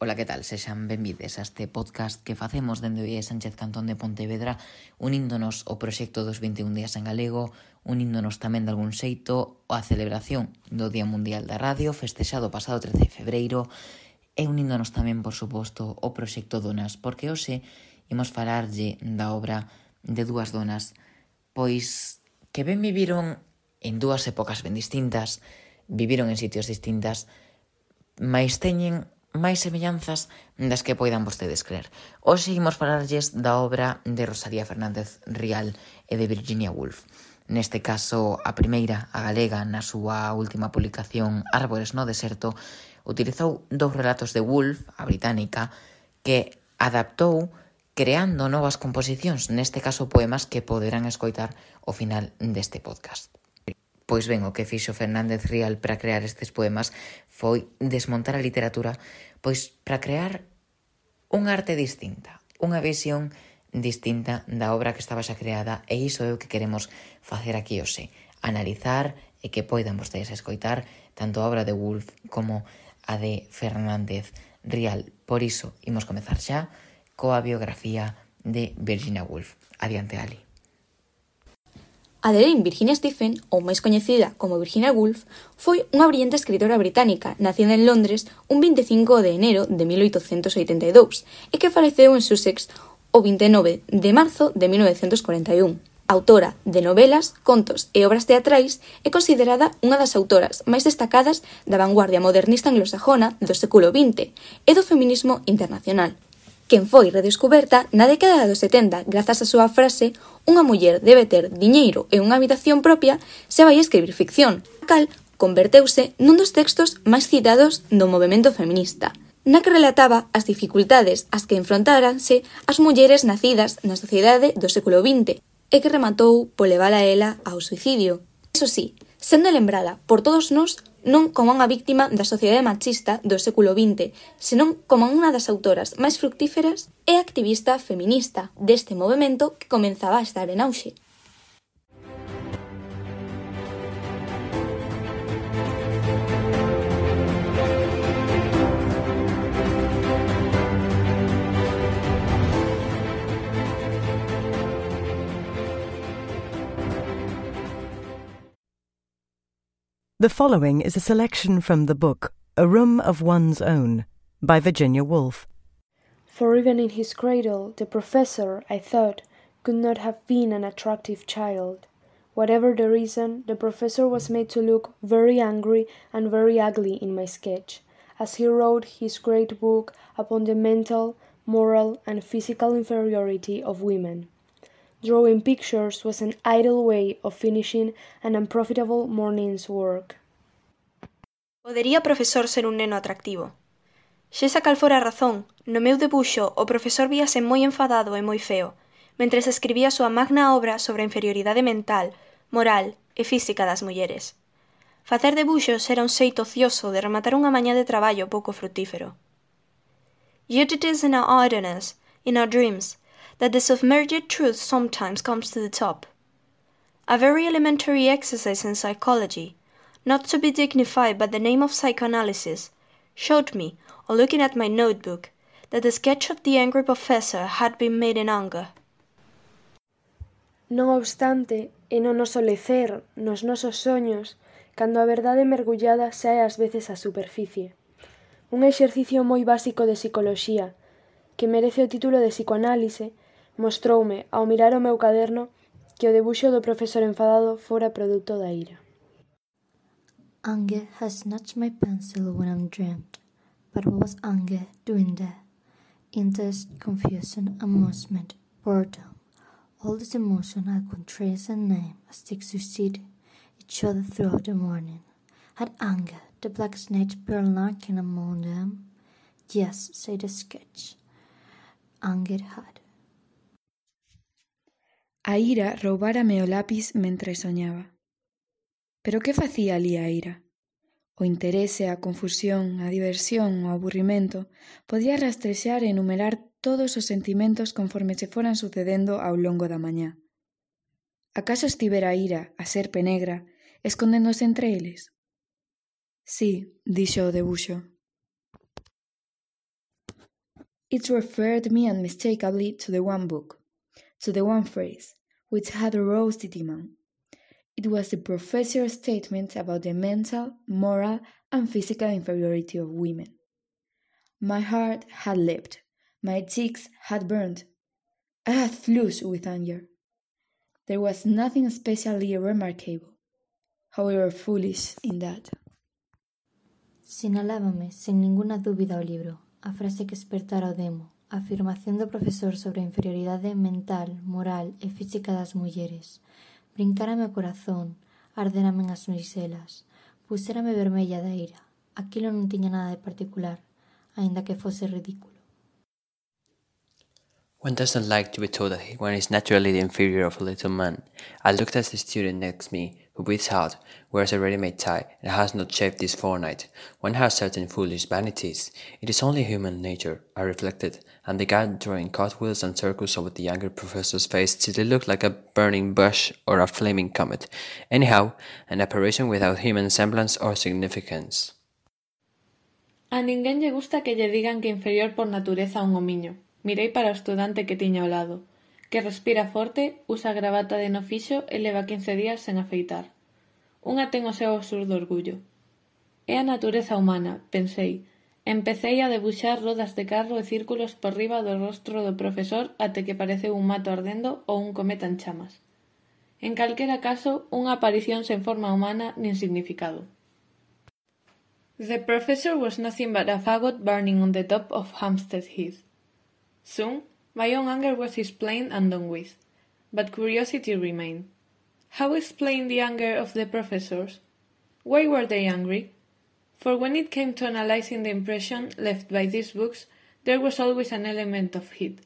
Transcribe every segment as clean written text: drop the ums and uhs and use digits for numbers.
Ola, que tal? Sexan benvides a este podcast que facemos dende o IES Sánchez Cantón de Pontevedra, uníndonos ao proxecto dos 21 días en galego, uníndonos tamén de algún xeito á celebración do Día Mundial da Radio, festexado o pasado 13 de febreiro, e uníndonos tamén, por suposto, ao proxecto Donas, porque hoxe imos falarlle da obra de dúas donas, pois que ben viviron en dúas épocas ben distintas, viviron en sitios distintas, mais teñen máis semellanzas das que poidan vostedes creer. Hoxe imos falarlles da obra de Rosalía Fernández Rial e de Virginia Woolf. Neste caso, a primeira, a galega, na súa última publicación Árbores no deserto, utilizou dous relatos de Woolf, a británica, que adaptou creando novas composicións, neste caso poemas que poderán escoitar ao final deste podcast. Pois ben, o que fixo Fernández Rial para crear estes poemas foi desmontar a literatura, pois para crear unha arte distinta, unha visión distinta da obra que estaba xa creada, e iso é o que queremos facer aquí hoxe, analizar e que poidan vostedes escoitar tanto a obra de Woolf como a de Fernández Rial. Por iso, imos comezar xa coa biografía de Virginia Woolf. Adiante, Ali. Adeline Virginia Stephen, ou máis coñecida como Virginia Woolf, foi unha brillante escritora británica nacida en Londres un 25 de enero de 1882 e que faleceu en Sussex o 29 de marzo de 1941. Autora de novelas, contos e obras teatrais, é considerada unha das autoras máis destacadas da vanguardia modernista anglosajona do século XX e do feminismo internacional, quen foi redescuberta na década dos 70 grazas á súa frase «Unha muller debe ter diñeiro e unha habitación propia se vai escribir ficción», a cal converteuse nun dos textos máis citados do movemento feminista, na que relataba as dificultades ás que enfrontáranse as mulleres nacidas na sociedade do século XX e que rematou por levala a ela ao suicidio. Eso sí, sendo lembrada por todos nós non como unha víctima da sociedade machista do século XX, senón como unha das autoras máis fructíferas e activista feminista deste movemento que comenzaba a estar en auxe. The following is a selection from the book A Room of One's Own by Virginia Woolf. For even in his cradle, the professor, I thought, could not have been an attractive child. Whatever the reason, the professor was made to look very angry and very ugly in my sketch, as he wrote his great book upon the mental, moral, and physical inferiority of women. Drawing pictures was an idle way of finishing an unprofitable morning's work. Podería o profesor ser un neno atractivo? Sexa cal fora a razón, no meu debuxo o profesor víase moi enfadado e moi feo, mentres escribía a súa magna obra sobre a inferioridade mental, moral e física das mulleres. Facer debuxos era un xeito ocioso de rematar unha mañá de traballo pouco frutífero. Yet it is in our idleness, in our dreams, that the submerged truth sometimes comes to the top. A very elementary exercise in psychology, not to be dignified by the name of psychoanalysis, showed me, on looking at my notebook, that the sketch of the angry professor had been made in anger. Non obstante, é no noso lecer, nos nosos soños, cando a verdade mergullada sae ás veces á superficie. Un exercicio moi básico de psicoloxía, que merece o título de psicoanálise, mostroume, ao mirar o meu caderno, que o debuxo do profesor enfadado fora produto da ira. Anger has snatched my pencil when I'm dreamt, but what was anger doing there? Interest, confusion, amusement, boredom, all this emotion I could trace and name as they succeed each other throughout the morning. Had anger, the black snake been lurking among them? Yes, said the sketch. Anger had. A ira roubárame o lápis mentres soñaba. Pero que facía ali a ira? O interese, a confusión, a diversión, o aburrimento podía rastrexar e enumerar todos os sentimentos conforme se foran sucedendo ao longo da mañá. Acaso estivera a ira, a serpe negra, escondéndose entre eles? Sí, dixo o debuxo. It referred me unmistakably to the one book, to the one phrase, which had aroused the demon. It was the professor's statement about the mental, moral, and physical inferiority of women. My heart had leapt, my cheeks had burned. I had flushed with anger. There was nothing especially remarkable, however foolish, in that. Sinalábame, sin ninguna dúbida, o libro, a frase que espertara o demo, a afirmación do profesor sobre a inferioridade mental, moral e física das mulleres. Brincárame o corazón, ardérame as meixelas, pusérame vermella da ira. Aquilo non tiña nada de particular, aínda que fose ridículo. One doesn't like to be told that one is naturally the inferior of a little man. I looked at the student next me, who breathes hard, wears a ready-made tie, and has not shaved this fortnight. One has certain foolish vanities. It is only human nature, I reflected, and began drawing cartwheels and circles over the younger professor's face till it looked like a burning bush or a flaming comet. Anyhow, an apparition without human semblance or significance. A ninguén lle gusta que lle digan que inferior por natureza a un homiño. Mirei para o estudante que tiña ao lado, que respira forte, usa gravata de no fixo e leva 15 días sen afeitar. Unha ten o seu absurdo orgullo. É a natureza humana, pensei. Empecei a debuxar rodas de carro e círculos por riba do rostro do profesor até que pareceu un mato ardendo ou un cometa en chamas. En calquera caso, unha aparición sen forma humana nin significado. The professor was nothing but a fagot burning on the top of Hampstead Heath. Soon, my own anger was explained and done with, but curiosity remained. How explain the anger of the professors? Why were they angry? For when it came to analyzing the impression left by these books, there was always an element of heat.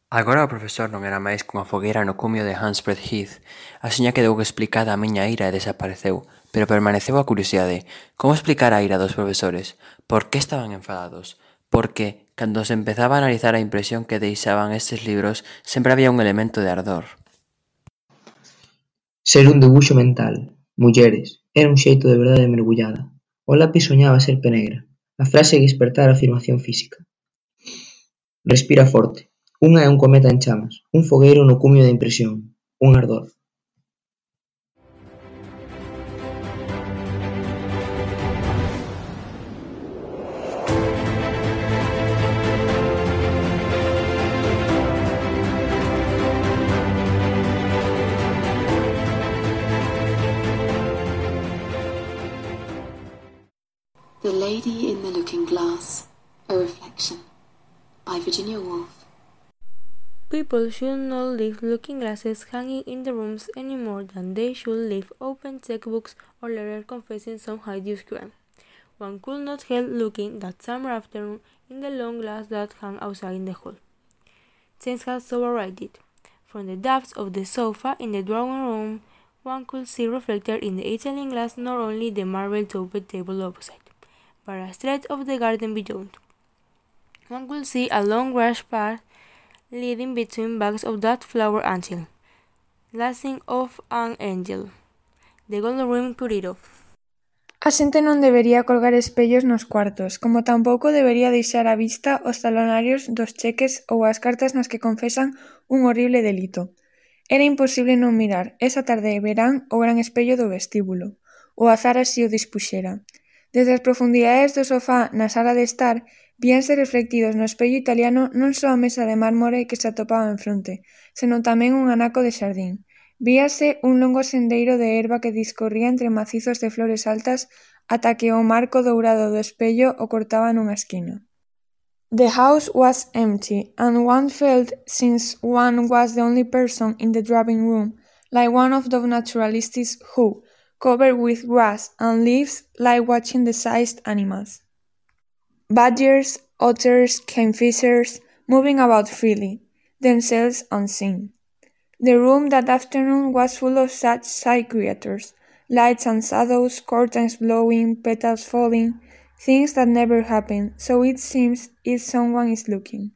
Agora o profesor non era máis cunha fogueira no cumio de Hampstead Heath. Axiña quedou explicada a miña ira e desapareceu, pero permaneceu a curiosidade. Como explicar a ira dos profesores? Por que estaban enfadados? Porque, cando se empezaba a analizar a impresión que deixaban estes libros, sempre había un elemento de ardor. Ser un debuxo mental, mulleres, era un xeito de verdade mergullada. O lápis soñaba a serpe negra, a frase que espertara a afirmación física. Respira forte. Unha é un cometa en chamas, un fogueiro no cumio da impresión, un ardor. The Lady in the Looking Glass, a Reflection, by Virginia Woolf. People should not leave looking glasses hanging in the rooms any more than they should leave open checkbooks or letters confessing some hideous crime. One could not help looking that summer afternoon in the long glass that hung outside in the hall. James had so arranged it. From the depths of the sofa in the drawing room, one could see reflected in the Italian glass not only the marble-topped table opposite, but a stretch of the garden beyond. One could see a long grass path leading between bags of that flower angel, lasting of an angel. The gold rim cut it off. A xente non debería colgar espellos nos cuartos, como tampouco debería deixar á vista os talonarios dos cheques ou as cartas nas que confesan un horrible delito. Era imposible non mirar, esa tarde de verán, o gran espello do vestíbulo. O azar así o dispuxera. Desde as profundidades do sofá na sala de estar, víanse reflectidos no espello italiano non só a mesa de mármore que se atopaba en fronte, senón tamén un anaco de xardín. Víase un longo sendeiro de herba que discorría entre macizos de flores altas ata que o marco dourado do espello o cortaba nunha esquina. The house was empty, and one felt, since one was the only person in the drawing room, like one of those naturalists who, covered with grass and leaves, lie watching the sized animals. Badgers, otters, kingfishers, moving about freely, themselves unseen. The room that afternoon was full of such side creatures, lights and shadows, curtains blowing, petals falling, things that never happen, so it seems if someone is looking.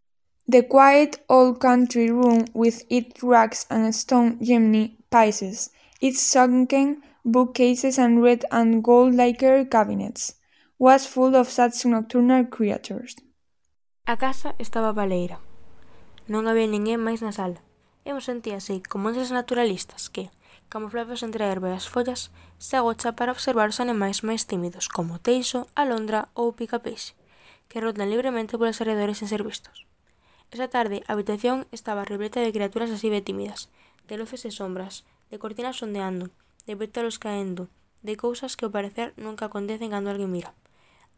The quiet old country room with its rugs and stone chimney pieces, its sunken bookcases and red and gold lacquer cabinets, was full of such nocturnal creatures. A casa estaba baleira. Non había ninguén máis na sala. Eu sentíase como eses naturalistas que, camuflados entre a herba e as follas, se agochan para observar os animais máis tímidos como o teixo, a alondra ou o picapeixe, que rotan libremente polos arredores sen ser vistos. Esa tarde a habitación estaba repleta de criaturas así de tímidas, de luces e sombras, de cortinas ondeando, de pétalos caendo, de cousas que ao parecer nunca acontecen cando alguén mira.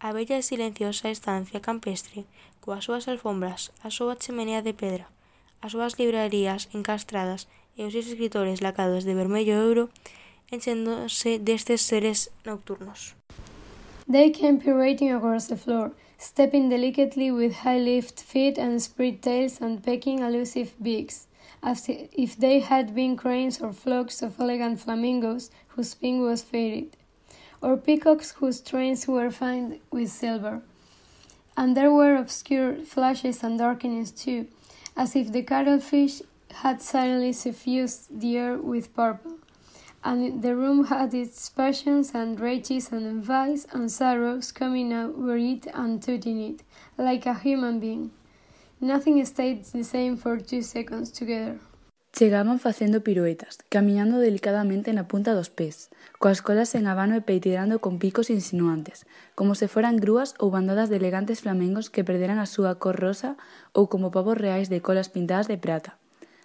A bella e silenciosa estancia campestre, coas súas alfombras, a súa chimenea de pedra, as súas librarías encastradas e os seus escritores lacados de vermello e ouro, enchéndose destes seres nocturnos. They came pirouetting across the floor, stepping delicately with high-lift feet and spread tails and pecking elusive beaks, as if they had been cranes or flocks of elegant flamingos whose pink was faded, or peacocks whose trains were fine with silver. And there were obscure flashes and darkenings too, as if the cuttlefish had suddenly suffused the air with purple, and the room had its passions and rages and envies and sorrows coming over it and touching it, like a human being. Nothing stayed the same for 2 seconds together. Chegaban facendo piruetas, camiñando delicadamente na punta dos pés, coas colas en abano e peitirando con picos insinuantes, como se foran grúas ou bandadas de elegantes flamengos que perderan a súa cor rosa ou como pavos reais de colas pintadas de prata.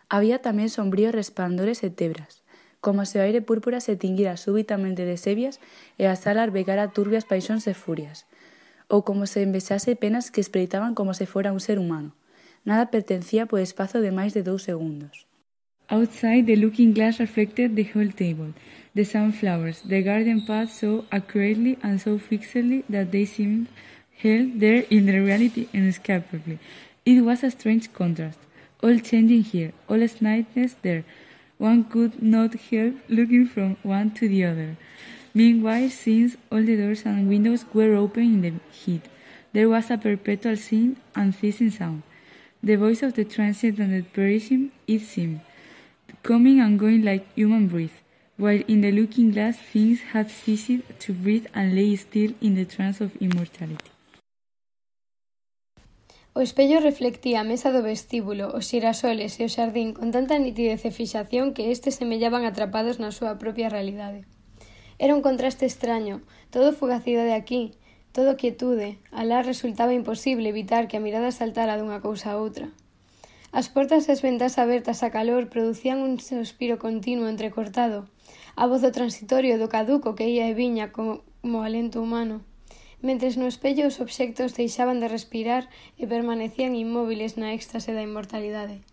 Había tamén sombríos resplandores e tebras, como se o aire púrpura se tinguira súbitamente de sevias e a sala albergara turbias paixóns e furias, ou como se envexase penas que espreitaban como se fora un ser humano. Nada pertencía por espazo de máis de 2 segundos. Outside, the looking glass reflected the whole table, the sunflowers, the garden path so accurately and so fixedly that they seemed held there in the reality inescapably. It was a strange contrast, all changing here, all slightness there. One could not help looking from one to the other. Meanwhile, since all the doors and windows were open in the heat, there was a perpetual singing and ceasing sound. The voice of the transient and the perishing, it seemed, coming and going like human breath, while in the looking glass things had ceased to breathe and lay still in the trance of immortality. O espello reflectía a mesa do vestíbulo, os xirasoles e o xardín con tanta nitidez e fixación que estes semellaban atrapados na súa propia realidade. Era un contraste extraño, todo fugacidade aquí, todo quietude, alá resultaba imposible evitar que a mirada saltara dunha cousa a outra. As portas e as ventás abertas a calor producían un suspiro continuo entrecortado, a voz do transitorio do caduco que ia e viña como alento humano. Mentres no espello os obxectos deixaban de respirar e permanecían inmóviles na éxtase da inmortalidade.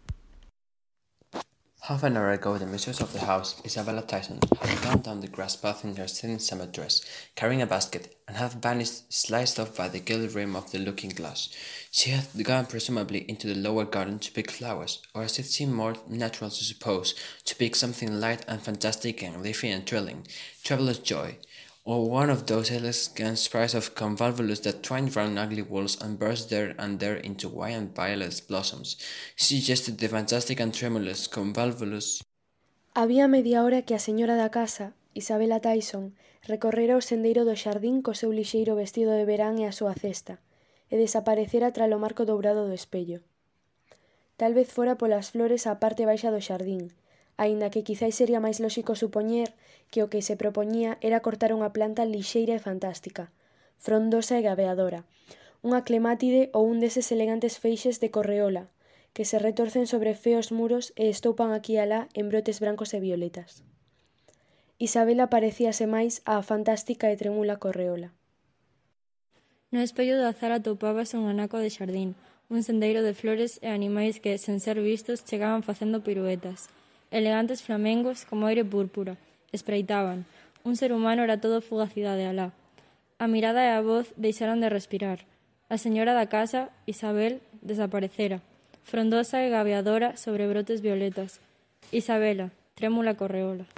Half an hour ago, the mistress of the house, Isabella Tyson, had gone down the grass path in her thin summer dress, carrying a basket, and had vanished, sliced off by the gilded rim of the looking-glass. She had gone presumably into the lower garden to pick flowers, or as it seemed more natural to suppose, to pick something light and fantastic and leafy and thrilling, traveller's joy, or one of those elegant sprays of convolvulus that twined round ugly walls and burst there and there into white and violet blossoms, suggested the fantastic and tremulous convolvulus. Había media hora que a señora da casa, Isabella Tyson, recorrera o sendeiro do xardín co seu lixeiro vestido de verán e a súa cesta, e desaparecera tralo marco dourado do espello. Tal vez fora polas flores á parte baixa do xardín, aínda que quizais sería máis lóxico supoñer que o que se propoñía era cortar unha planta lixeira e fantástica, frondosa e gabeadora, unha clemátide ou un deses elegantes feixes de correola, que se retorcen sobre feos muros e estoupan aquí e alá en brotes brancos e violetas. Isabela parecíase máis á fantástica e tremula correola. No espello do azar atopábase un anaco de xardín, un sendeiro de flores e animais que, sen ser vistos, chegaban facendo piruetas. Elegantes flamengos como aire púrpura, espreitaban. Un ser humano era todo fugacidade alá. A mirada e a voz deixaron de respirar. A señora da casa, Isabel, desaparecera, frondosa e gabeadora sobre brotes violetas. Isabela, trémula correola.